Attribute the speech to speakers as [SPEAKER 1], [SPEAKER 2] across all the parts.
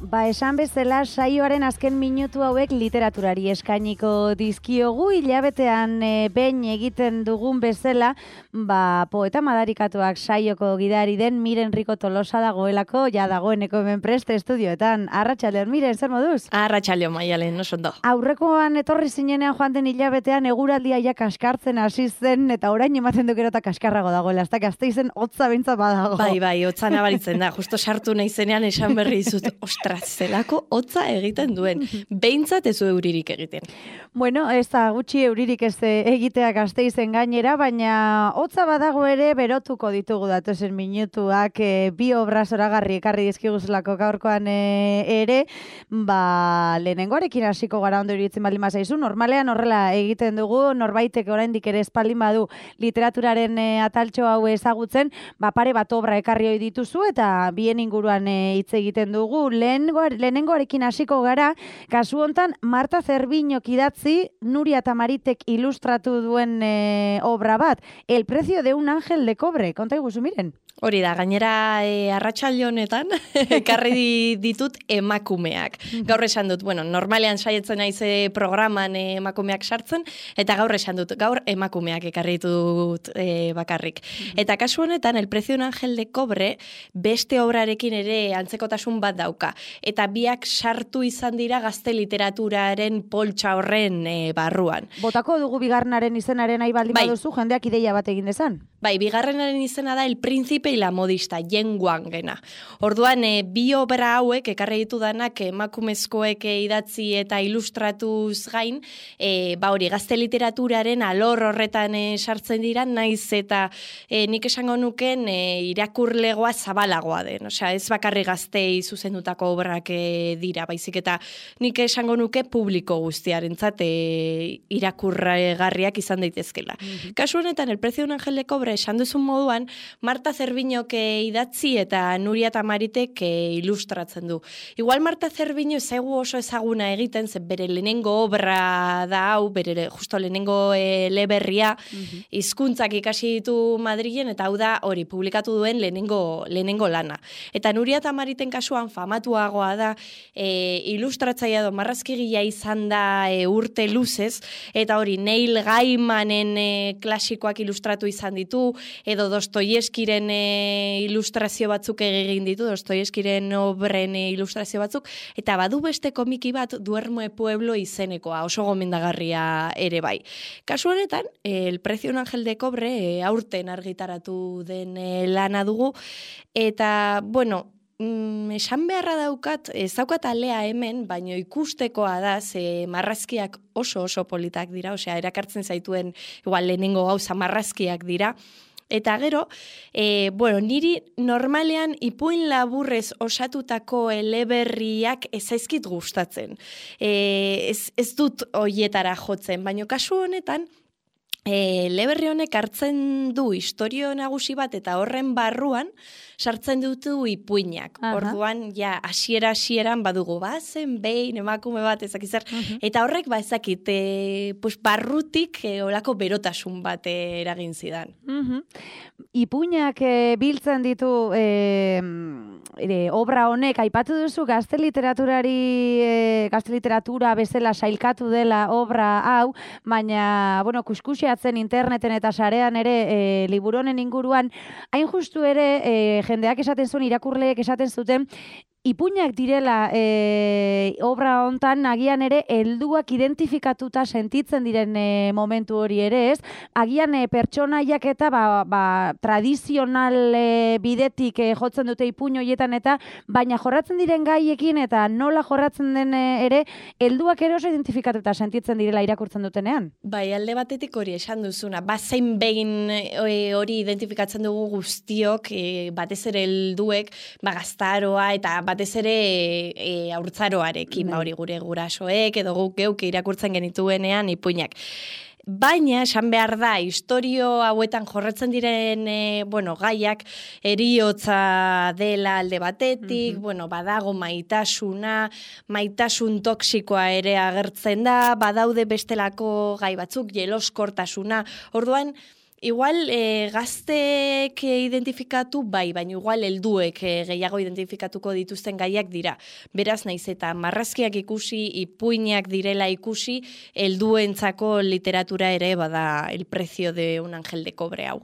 [SPEAKER 1] Esan bezala saioaren azken minutu hauek literaturari eskainiko dizkiogu, hilabetean behin egiten dugun bezala, poeta madarikatuak saioko gidari den Miren Rico Tolosa dagoelako, ja dagoeneko hemen preste estudioetan. Arratsaldeon, Miren, zer moduz?
[SPEAKER 2] Arratsaldeon, Maialen, oso ondo.
[SPEAKER 1] Aurrekoan etorri zinenean joan den hilabetean eguraldia ja kaskartzen hasi zen, eta orain ematen du gero eta kaskarrago dagoela, ez da Gasteizen hotza behintzat badago.
[SPEAKER 2] Bai, hotza nabaritzen da, justo sartu naizenean esan berri dizut, zelako hotza egiten duen. Behintzat ez du euririk egiten.
[SPEAKER 1] Bueno, ez da gutxi euririk ez egitea Gasteizen gainera, baina hotza badago ere berotuko ditugu datozen minutuak, bi obra zoragarri ekarri dizkiguzulako gaurkoan ere, lehenengoarekin hasiko gara ondo iruditzen baldin bazaizu, normalean horrela egiten dugu, norbaitek oraindik ere espaldin badu literaturaren ataltxo hau ezagutzen, pare bat obra ekarri ohi dituzu eta bien inguruan hitz egiten dugu. Lehenengoarekin hasiko gara, kasu hontan Marta Zerbiñok idatzi, Nuria Tamaritek ilustratu duen obra bat, El precio de un ángel de cobre. Konta iguzu, Miren.
[SPEAKER 2] Hori da, gainera arratsalde honetan ekarri ditut emakumeak. Gaur esan dut, normalean saietzen naiz programan emakumeak sartzen, eta gaur esan dut, gaur emakumeak ekarri ditut bakarrik. Eta kasu honetan, El precio de un ángel de cobre beste obrarekin ere antzekotasun bat dauka. Eta biak sartu izan dira gazte literaturaren poltsa horren barruan.
[SPEAKER 1] Botako dugu bigarrenaren izenaren nahi baldin baduzu, jendeak ideia bat egin dezan.
[SPEAKER 2] Bai, bigarrenaren izena da El príncipe y la modista, Yen Wangena. Orduan, bi obra hauek, ekarri ditudanak emakumezkoek idatzi eta ilustratuz gain, hori, gazte literaturaren alor horretan sartzen dira, naiz eta nik esango nuken irakurlegoa zabalagoa den. Osea, ez bakarri gaztei zuzendutako obrak dira, baizik eta nik esango nuke publiko guztiarentzat irakurgarriak izan daitezkela. Kasu honetan, El precio de un ángel de cobre esan duzun moduan, Marta Zerbiñok idatzi eta Nuria Tamaritek ilustratzen du. Igual Marta Zerbiño ezaigu oso ezaguna egiten, ze bere lehenengo obra da hau, bere justo lehenengo eleberria, hizkuntzak ikasi ditu Madrilen, eta hau da hori publikatu duen lehenengo lana. Eta Nuria Tamariten kasuan famatuagoa da, ilustratzailea edo marrazkigilea izan da urte luzez, eta hori Neil Gaimanen klasikoak ilustratu izan ditu, edo Dostoievskiren ilustrazio batzuk egin ditu, Dostoievskiren obren ilustrazio batzuk, eta badu beste komiki bat Duermo de Pueblo izenekoa, oso gomendagarria ere bai. Kasu honetan, El precio de un ángel de cobre aurten argitaratu den lana dugu, eta, esan beharra daukat, ez daukat alea hemen, baino ikustekoa da, ze marrazkiak oso politak dira, osea, erakartzen zaituen, igual lehenengo gauza marrazkiak dira, eta gero, niri normalean ipuin laburrez osatutako eleberriak ez zaizkit gustatzen. Ez dut hoietara jotzen, baino kasu honetan, eleberri honek hartzen du istorio nagusi bat eta horren barruan sartzen dutu ipuinak. Orduan, hasieran badugu, zen behin emakume bat ezakizar, eta horrek ezakit, barrutik olako berotasun bat eragin zidan.
[SPEAKER 1] Ipuinak biltzen ditu obra honek, aipatu duzu gazte literatura bezala sailkatu dela obra hau, baina, kuskusiatzen interneten eta sarean ere liburu honen inguruan, hain justu ere jendeak esaten zuen, irakurleek esaten zuten, ipuinak direla obra hontan agian ere helduak identifikatuta sentitzen diren momentu hori ere ez, agian pertsonaiak eta tradizional bidetik jotzen dute ipuin horietan eta baina jorratzen diren gaiekin eta nola jorratzen den ere helduak ere oso identifikatuta sentitzen direla irakurtzen dutenean.
[SPEAKER 2] Bai, alde batetik hori esan duzuna, zein behin hori identifikatzen dugu guztiok, batez ere helduek, gaztaroa eta batez ere haurtzaroarekin, hori gure gurasoek edo guk geuk irakurtzen genituenean ipuinak. Baina, esan behar da, historio hauetan jorratzen diren, gaiak, heriotza dela alde batetik, badago maitasun toksikoa ere agertzen da, badaude bestelako gai batzuk, jeloskortasuna. Orduan, Igual gazteek identifikatu baina igual helduek gehiago identifikatuko dituzten gaiak dira. Beraz, naiz eta marrazkiak ikusi, ipuinak direla ikusi, helduentzako literatura ere bada El precio de un ángel de cobre hau.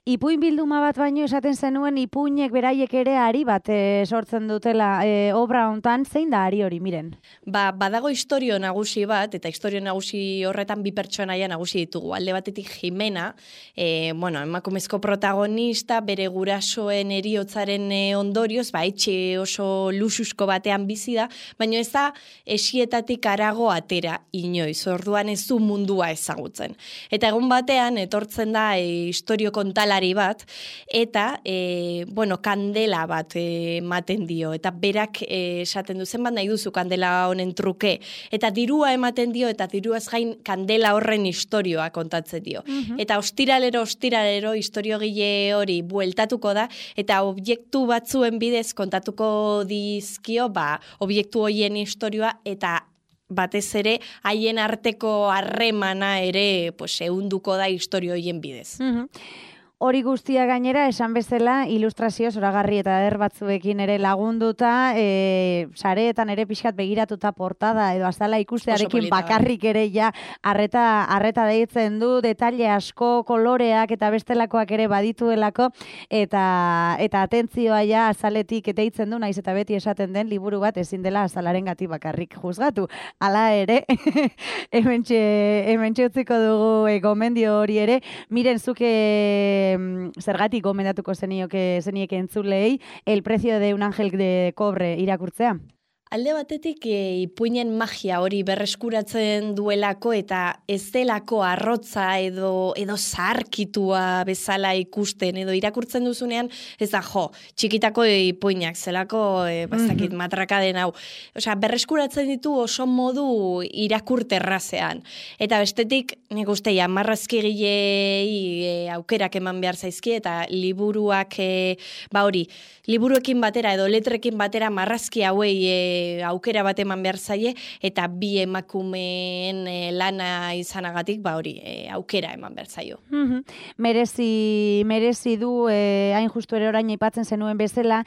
[SPEAKER 1] Ipuin bilduma bat baino esaten zenuen ipuinek beraiek ere ari bat sortzen dutela obra hontan, zein da ari hori, miren?
[SPEAKER 2] Badago istorio nagusi bat, eta istorio nagusi horretan bi pertsonaia nagusi ditugu. Alde batetik Jimena, emakumezko protagonista, bere gurasoen heriotzaren ondorioz, etxe oso luxusko batean bizi da, baina ez da esietatik harago atera inoiz, orduan ez du mundua ezagutzen. Eta egun batean etortzen da istorio kontalari bat, eta kandela bat ematen dio, eta berak esaten du zenbat nahi duzu kandela honen truke, eta dirua ematen dio, eta diruaz gain kandela horren istorioa kontatzen dio. Eta ostiralero historiogile hori bueltatuko da, eta objektu batzuen bidez kontatuko dizkio, objektu horien istorioa, eta batez ere haien arteko harremana ere ehunduko da istorio horien bidez.
[SPEAKER 1] Hori guztia gainera, esan bezala, ilustrazio zoragarri eta eder batzuekin ere lagunduta, sareetan ere pixkat begiratuta portada, edo azala ikustearekin bakarrik ere ja arreta deitzen du, detaile asko, koloreak eta bestelakoak ere badituelako, eta atentzioa ja azaletik deitzen du, naiz eta beti esaten den liburu bat ezin dela azalaren gati bakarrik juzgatu. Hala ere, hementxe utziko dugu gomendio hori ere, miren zuke zergatik gomendatuko zenieke entzulei El precio de un ángel de cobre irakurtzea?
[SPEAKER 2] Alde batetik ipuinen magia hori berreskuratzen duelako eta ez delako arrotza edo zaharkitua bezala ikusten edo irakurtzen duzunean ez da txikitako ipuinak zelako bastakit matraka den hau. Osea, berreskuratzen ditu oso modu irakurterrazean. Eta bestetik nik uste marrazkigilei aukerak eman behar zaizki eta liburuak liburuekin batera edo letrekin batera marrazki hauei aukera bat eman behar zaie, eta bi emakumeen lana izanagatik, aukera eman behar zaio.
[SPEAKER 1] Merezi du, hain justu ere orain aipatzen zenuen bezala,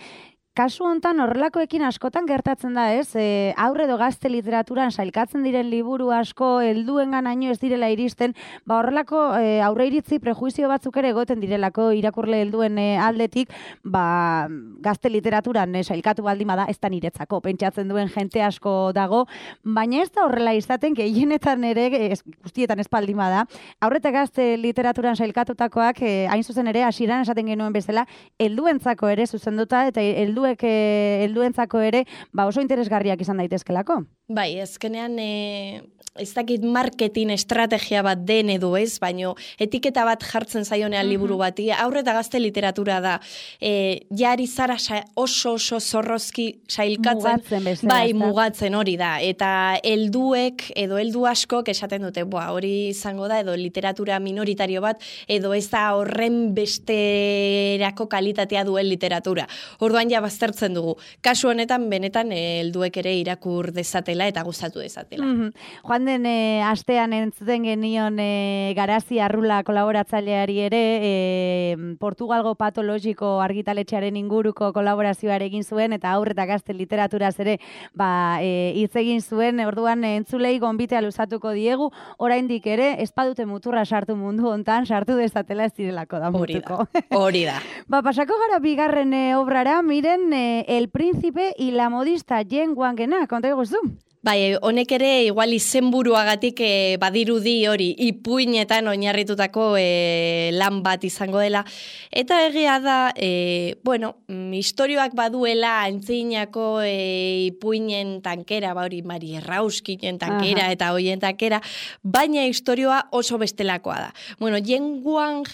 [SPEAKER 1] kasu hontan horrelakoekin askotan gertatzen da, ez? Aurre edo gazte literaturan sailkatzen diren liburu asko helduenganaino ez direla iristen, horrelako aurre iritzi prejuizio batzuk ere egoten direlako irakurle helduen aldetik, gazte literaturan sailkatu baldin bada ez da niretzako, pentsatzen duen jente asko dago, baina ez da horrela izaten, gehienetan ere, guztietan ez baldin bada, aurre eta gazte literaturan sailkatutakoak, hain zuzen ere, hasieran esaten genuen bezala, helduentzako ere zuzenduta, eta helduentzako ere oso interesgarriak izan daitezkelako.
[SPEAKER 2] Bai, azkenean ez dakit marketing estrategia bat den edo ez, baino etiketa bat jartzen zaionean liburu bati, aurre eta gazte literatura da, jari zara oso zorrozki sailkatzen, mugatzen hori da, eta helduek edo heldu askok esaten dute, hori izango da, edo literatura minoritario bat, edo ez da horren besterako kalitatea duen literatura. Orduan ja baztertzen dugu. Kasu honetan, benetan, helduek ere irakur dezatela eta gustatu dezatela.
[SPEAKER 1] Joan den astean entzuten genion Garazi Arrula kolaboratzaileari ere Portugalgo patologiko argitaletxearen inguruko kolaborazioa egin zuen eta aurre eta gazte literaturaz ere hitz egin zuen. Orduan entzulei gonbitea luzatuko diegu, oraindik ere espadute muturra sartu mundu hontan, sartu dezatela ez direlako da mutuko.
[SPEAKER 2] Hori da.
[SPEAKER 1] Pasako gara bigarren obrara, miren El príncipe y la modista Jen Wangena, konta eguzu?
[SPEAKER 2] Bai, honek ere igual izenburuagatik badirudi hori ipuinetan oinarritutako lan bat izango dela. Eta egia da, istorioak baduela antzinako ipuinen tankera, hori Mari Errauskinen tankera eta hoien tankera, baina istorioa oso bestelakoa da. Jen Wang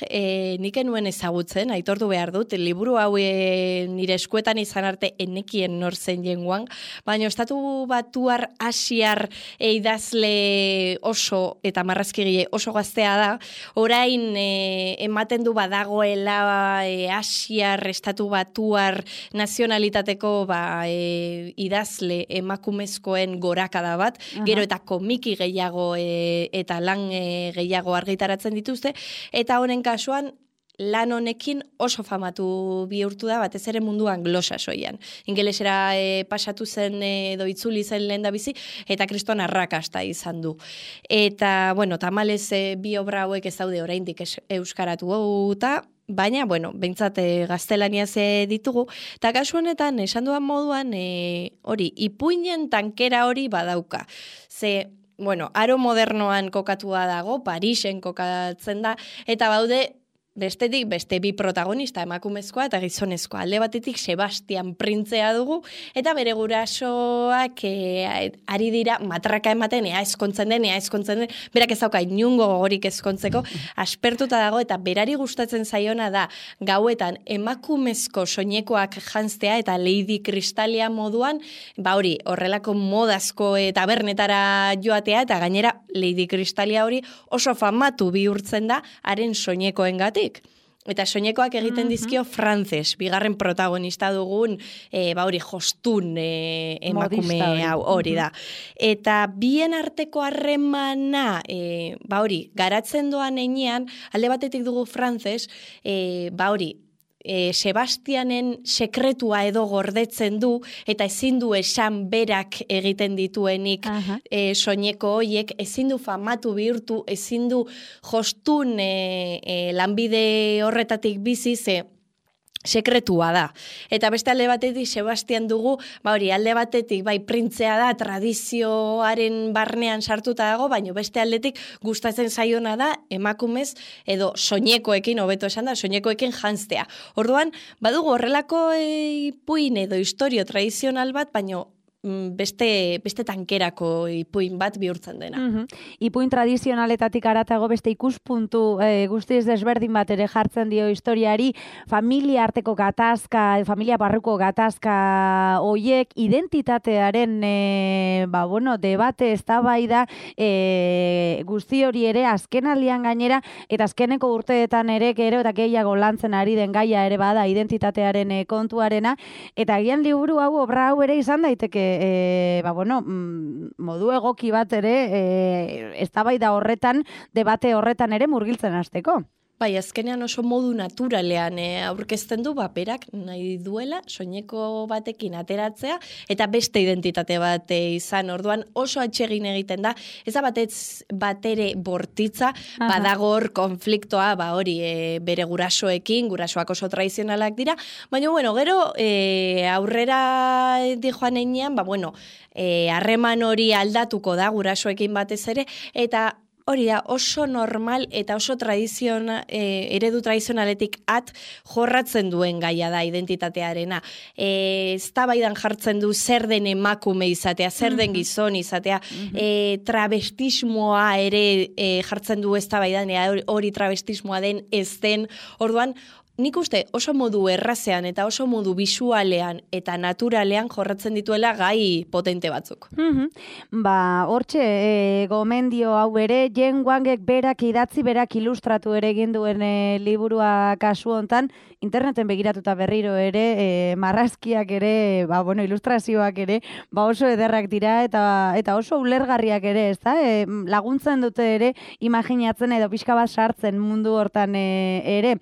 [SPEAKER 2] nik enuen ezagutzen, aitortu behar dut, liburu hau nire eskuetan izan arte enekien nor zen Jen Wang, baina estatu batuar asiar idazle oso eta marrazkigile oso gaztea da, orain ematen du badagoela asiar, estatu batuar nazionalitateko idazle emakumezkoen gorakada bat, gero eta komiki gehiago eta lan gehiago argitaratzen dituzte, eta honen kasuan lan honekin oso famatu bihurtu da, batez ere mundu anglosaxoian. Ingelesera pasatu zen edo itzuli zen lehendabizi, eta kriston arrakasta izan du. Eta, bueno, tamalez bi obra hauek ez daude oraindik euskaratu eta baina, bueno, behintzat gaztelaniaz ditugu, eta kasu honetan, esan duan moduan, hori, ipuinen tankera hori badauka. Bueno, aro modernoan kokatua dago, Parisen kokatzen da, eta baude, bestetik, beste bi protagonista, emakumezkoa eta gizonezkoa. Alde batetik Sebastian printzea dugu, eta bere gurasoak ari dira matraka ematen, ea ezkontzen den, berak ez dauka inungo gogorik ezkontzeko, aspertuta dago, eta berari gustatzen zaiona da, gauetan emakumezko soinekoak janztea, eta Lady Kristalia moduan, hori, horrelako modazko tabernetara joatea, eta gainera Lady Kristalia hori oso famatu bihurtzen da, haren soinekoengatik. Eta soinekoak egiten dizkio Frances, bigarren protagonista dugun, hori, jostun emakume hau, hori da. Eta bien arteko harremana, hori, garatzen doan einean, alde batetik dugu Frances, hori, Sebastianen sekretua edo gordetzen du, eta ezin du esan berak egiten dituenik soineko hoiek, ezin du famatu bihurtu, ezin du jostun lanbide horretatik bizi, sekretua da. Eta beste alde batetik Sebastian dugu, hori, alde batetik printzea da, tradizioaren barnean sartuta dago, baina beste aldetik gustatzen zaiona da emakumez edo soinekoekin, hobeto esan da, soinekoekin janztea. Orduan, badugu horrelako ipuin edo historio tradizional bat, baina beste tankerako ipuin bat bihurtzen dena.
[SPEAKER 1] Ipuin tradizionaletatik aratago beste ikuspuntu guztiz desberdin bat ere jartzen dio historiari, familia arteko gatazka, familia barruko gatazka hoiek, identitatearen debate eztabaida guzti hori ere azkenaldian gainera, eta azkeneko urteetan ere gero eta gehiago lantzen ari den gaia ere bada identitatearen kontuarena, eta agian liburu hau, obra hau ere izan daiteke modu egoki bat ere eztabaida horretan, debate horretan ere murgiltzen hasteko.
[SPEAKER 2] Bai, azkenean oso modu naturalean aurkezten du, berak nahi duela soineko batekin ateratzea eta beste identitate bat izan. Orduan oso atsegin egiten da, ez da batere bortitza, badago hor konfliktoa, hori bere gurasoekin, gurasoak oso tradizionalak dira, baina gero aurrera dijoan einean, harreman hori aldatuko da gurasoekin batez ere, eta hori da, oso normal eta oso eredu tradizionaletik jorratzen duen gaia da identitatearena. Eztabaidan jartzen du zer den emakume izatea, zer den gizon izatea, travestismoa ere jartzen du eztabaidan, hori travestismoa den ez den. Orduan, nik uste oso modu errazean eta oso modu bisualean eta naturalean jorratzen dituela gai potente batzuk.
[SPEAKER 1] Hortxe, gomendio hau ere, Jen Wangek berak idatzi, berak ilustratu ere egin duen liburua kasu hontan, interneten begiratuta berriro ere, marrazkiak ere, ilustrazioak ere, oso ederrak dira eta oso ulergarriak ere, ez da? Laguntzen dute ere, imaginatzen edo pixka bat sartzen mundu hortan ere.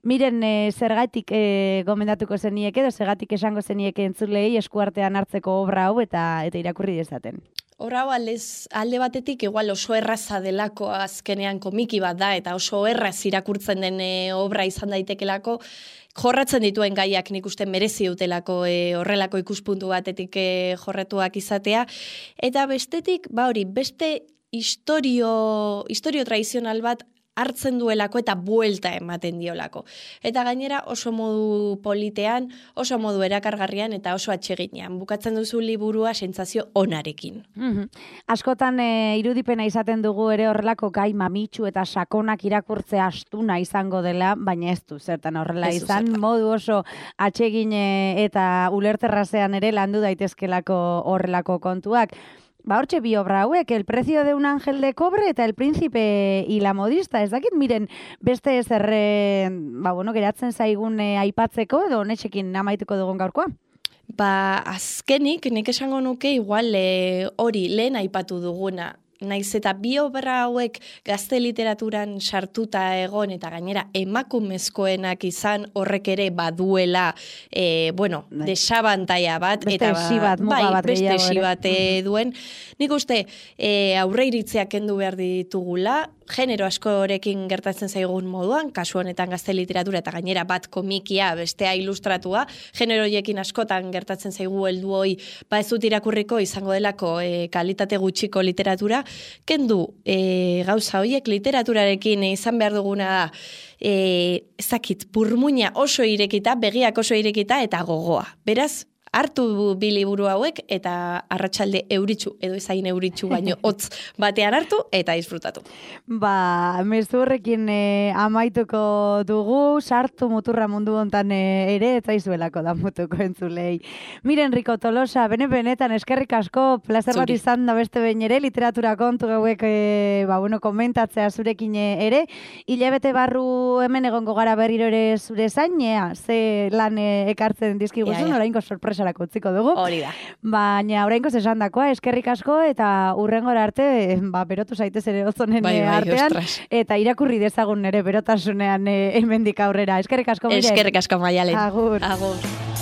[SPEAKER 1] Miren, zergatik gomendatuko zenieke edo zergatik esango zenieke entzulei eskuartean hartzeko obra hau eta irakurri dezaten.
[SPEAKER 2] Obra hau alde batetik igual oso erraza delako azkenean komiki bat da eta oso erraz irakurtzen den obra izan daitekelako, jorratzen dituen gaiak nik uste merezi dutelako horrelako ikuspuntu batetik jorratuak izatea. Eta bestetik, beste historio tradizional bat hartzen duelako eta buelta ematen diolako. Eta gainera oso modu politean, oso modu erakargarrian eta oso atseginean. Bukatzen duzu liburua sentsazio onarekin.
[SPEAKER 1] Askotan irudipena izaten dugu ere horrelako gai mamitsu eta sakonak irakurtzea astuna izango dela, baina ez du zertan horrela izan. Modu oso atsegin eta ulerterrazean ere landu daitezkelako horrelako kontuak. hortxe bi obra hauek, El precio de un ángel de cobre eta El príncipe y la modista. Ez dakit, miren, beste zerre, geratzen zaigun aipatzeko, edo honetxekin amaituko dugun gaurkoa?
[SPEAKER 2] Azkenik, nik esango nuke igual hori lehen aipatu duguna. Naiz eta bi obra hauek gazte literaturan sartuta egon eta gainera emakumezkoenak izan horrek ere baduela desabantaia bat.
[SPEAKER 1] Beste esi bat, muga bat.
[SPEAKER 2] Beste esi bat duen. Nik uste aurre iritziak kendu behar ditugula, genero askorekin gertatzen zaigun moduan, kasu honetan gazte literatura eta gainera bat komikia, bestea ilustratua, generoiekin askotan gertatzen zaigu heldu hoi, ez dut irakurriko izango delako kalitate gutxiko literatura, kendu gauza horiek literaturarekin izan behar duguna da, ezakit, burmuina oso irekita, begiak oso irekita eta gogoa. Beraz, hartu bi liburu hauek eta arratsalde euritsu edo ezain euritsu baino hotz batean hartu eta disfrutatu.
[SPEAKER 1] Mezu horrekin amaituko dugu, sartu muturra mundu hontan ere ez zaizuelako da mutuko entzulei. Miren Rico Tolosa, benetan eskerrik asko, plazer bat izan da beste behin ere, literatura kontu gauek komentatzea zurekin ere. Hilabete barru hemen egongo gara berriro ere zure zainea, ze lan ekartzen dizkiguzun, oraingo sorpresa utziko dugu.
[SPEAKER 2] Hori da.
[SPEAKER 1] Baina oraingoz esandakoa, eskerrik asko eta hurrengora arte, berotu zaitez ere ozonen artean, eta irakurri dezagun ere berotasunean hemendik aurrera. Eskerrik asko, Miren.
[SPEAKER 2] Eskerrik asko, Maialen.
[SPEAKER 1] Agur.
[SPEAKER 2] Agur.